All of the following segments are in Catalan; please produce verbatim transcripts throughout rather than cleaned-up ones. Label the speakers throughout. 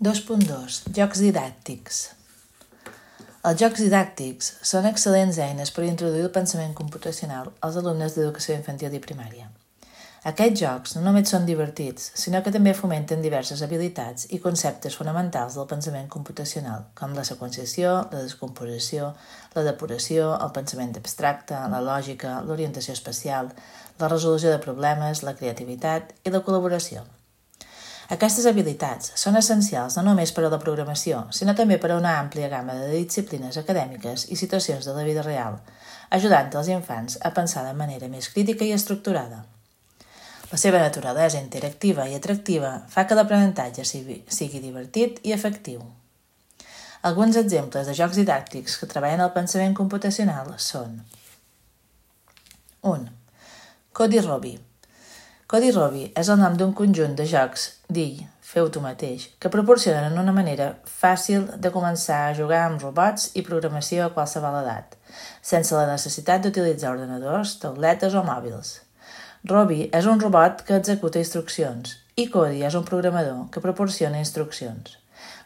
Speaker 1: dos punt dos. Jocs didàctics. Els jocs didàctics són excel·lents eines per introduir el pensament computacional als alumnes d'educació infantil i primària. Aquests jocs no només són divertits, sinó que també fomenten diverses habilitats i conceptes fonamentals del pensament computacional, com la seqüenciació, la descomposició, la depuració, el pensament abstracte, la lògica, l'orientació espacial, la resolució de problemes, la creativitat i la col·laboració. Aquestes habilitats són essencials no només per a la programació, sinó també per a una àmplia gamma de disciplines acadèmiques i situacions de la vida real, ajudant els infants a pensar de manera més crítica i estructurada. La seva naturalesa interactiva i atractiva fa que l'aprenentatge sigui divertit i efectiu. Alguns exemples de jocs didàctics que treballen el pensament computacional són: un. Codi Robi. Codi Robi és el nom d'un conjunt de jocs d'I, feu tu mateix, que proporcionen una manera fàcil de començar a jugar amb robots i programació a qualsevol edat, sense la necessitat d'utilitzar ordenadors, tauletes o mòbils. Robi és un robot que executa instruccions i Codi és un programador que proporciona instruccions.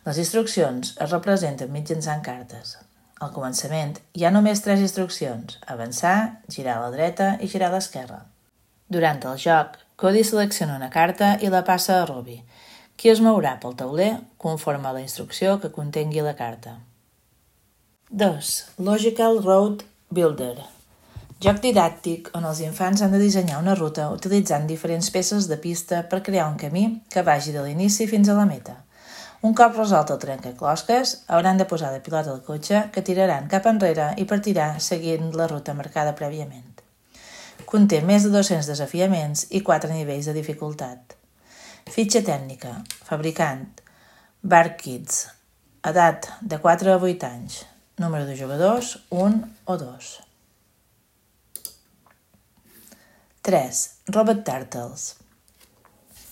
Speaker 1: Les instruccions es representen mitjançant cartes. Al començament hi ha només tres instruccions: avançar, girar a la dreta i girar a l'esquerra. Durant el joc, Codi selecciona una carta i la passa a Robi, qui es mourà pel tauler conforme a la instrucció que contengui la carta. dos. Logical Road Builder. Joc didàctic on els infants han de dissenyar una ruta utilitzant diferents peces de pista per crear un camí que vagi de l'inici fins a la meta. Un cop resolt el trencaclosques, hauran de posar de pilot al cotxe que tiraran cap enrere i partirà seguint la ruta marcada prèviament. Conté més de dos-cents desafiaments i quatre nivells de dificultat. Fitxa tècnica. Fabricant: BarkKids. Edat de quatre a vuit anys. Número de jugadors: un o dos. tres. Robot Turtles.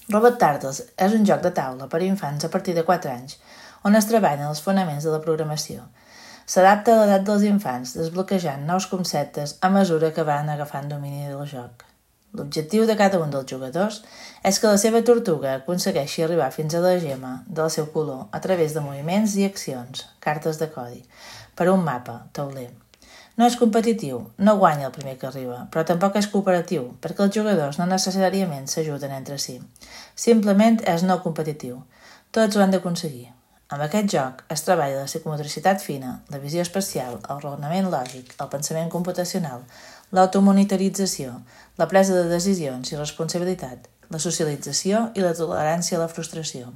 Speaker 1: Robot Turtles és un joc de taula per a infants a partir de quatre anys, on es treballen els fonaments de la programació. S'adapta a l'edat dels infants, desbloquejant nous conceptes a mesura que van agafant domini del joc. L'objectiu de cada un dels jugadors és que la seva tortuga aconsegueixi arribar fins a la gemma del seu color a través de moviments i accions, cartes de codi, per un mapa, tauler. No és competitiu, no guanya el primer que arriba, però tampoc és cooperatiu, perquè els jugadors no necessàriament s'ajuden entre si. Simplement és no competitiu. Tots ho han d'aconseguir. Amb aquest joc es treballa la psicomotricitat fina, la visió espacial, el raonament lògic, el pensament computacional, l'automonitorització, la presa de decisions i responsabilitat, la socialització i la tolerància a la frustració.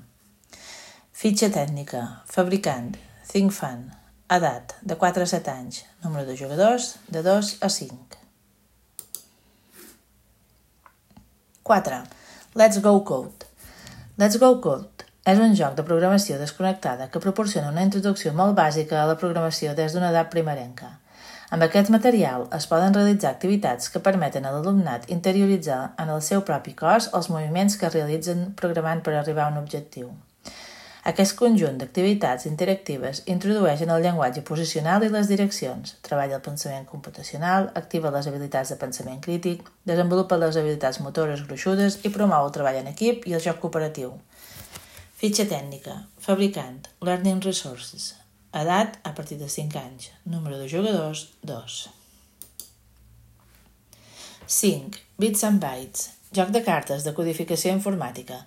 Speaker 1: Fitxa tècnica. Fabricant: ThinkFun. Edat de quatre a set anys. Número de jugadors de dos a cinc. quatre. Let's Go Code. Let's Go Code és un joc de programació desconnectada que proporciona una introducció molt bàsica a la programació des d'una edat primerenca. Amb aquest material es poden realitzar activitats que permeten a l'alumnat interioritzar en el seu propi cos els moviments que realitzen programant per arribar a un objectiu. Aquest conjunt d'activitats interactives introdueixen el llenguatge posicional i les direccions, treballa el pensament computacional, activa les habilitats de pensament crític, desenvolupa les habilitats motores gruixudes i promou el treball en equip i el joc cooperatiu. Fitxa tècnica. Fabricant: Learning Resources. Edat a partir de cinc anys. Número de jugadors: dos. cinc. Bits and Bytes. Joc de cartes de codificació informàtica.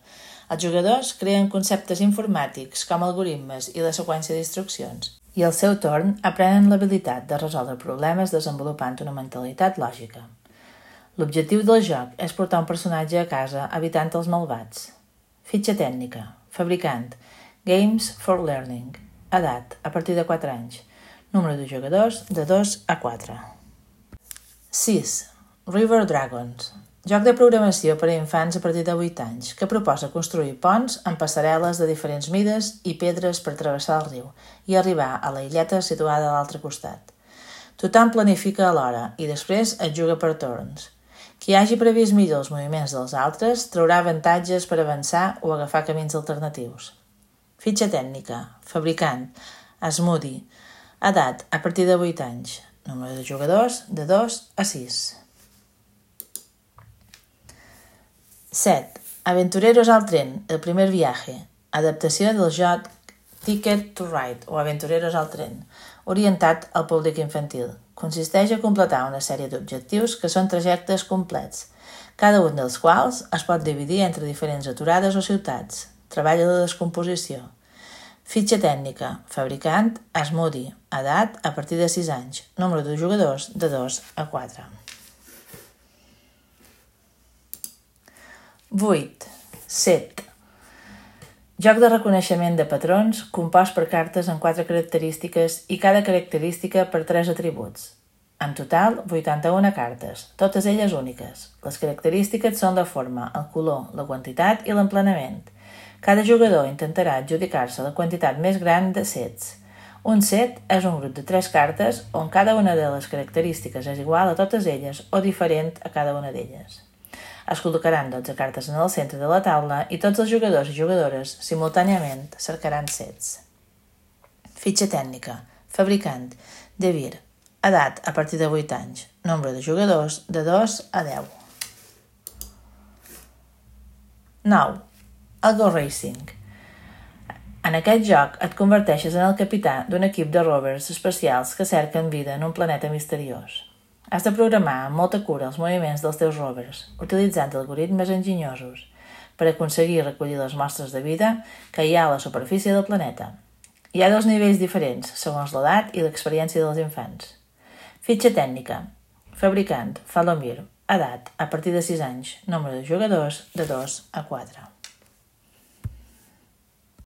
Speaker 1: Els jugadors creen conceptes informàtics com algoritmes i la seqüència d'instruccions i al seu torn aprenen l'habilitat de resoldre problemes desenvolupant una mentalitat lògica. L'objectiu del joc és portar un personatge a casa evitant els malvats. Fitxa tècnica. Fabricant: Games for Learning. Edat a partir de quatre anys. Número de jugadors de dos a quatre. sis. River Dragons. Joc de programació per a infants a partir de vuit anys, que proposa construir ponts amb passarel·les de diferents mides i pedres per travessar el riu i arribar a la illeta situada a l'altre costat. Tothom planifica alhora i després es juga per torns. Qui hagi previst millor els moviments dels altres traurà avantatges per avançar o agafar camins alternatius. Fitxa tècnica. Fabricant: Asmodee. Edat a partir de vuit anys. Número de jugadors de dos a sis. set. Aventureros al tren, el primer viaje. adaptació del joc Ticket to Ride o Aventureros al tren, orientat al públic infantil. Consisteix a completar una sèrie d'objectius que són trajectes complets, cada un dels quals es pot dividir entre diferents aturades o ciutats. Treballa de descomposició. Fitxa tècnica, fabricant, Asmodee, edat a partir de sis anys, nombre de jugadors de dos a quatre. vuit. Set. Joc de reconeixement de patrons compost per cartes amb quatre característiques i cada característica per tres atributs. En total, vuitanta-una cartes, totes elles úniques. Les característiques són la forma, el color, la quantitat i l'emplenament. Cada jugador intentarà adjudicar-se la quantitat més gran de sets. Un set és un grup de tres cartes on cada una de les característiques és igual a totes elles o diferent a cada una d'elles. Es col·locaran dotze cartes en el centre de la taula i tots els jugadors i jugadores simultàniament cercaran sets. Fitxa tècnica, fabricant, De Beer, edat a partir de vuit anys, nombre de jugadors de dos a deu. nou. El Go Racing. En aquest joc et converteixes en el capità d'un equip de rovers espacials que cerquen vida en un planeta misteriós. Has de programar amb molta cura els moviments dels teus rovers, utilitzant algoritmes enginyosos per aconseguir recollir les mostres de vida que hi ha a la superfície del planeta. Hi ha dos nivells diferents, segons l'edat i l'experiència dels infants. Fitxa tècnica. Fabricant, Falomir, edat a partir de sis anys, nombre de jugadors de dos a quatre.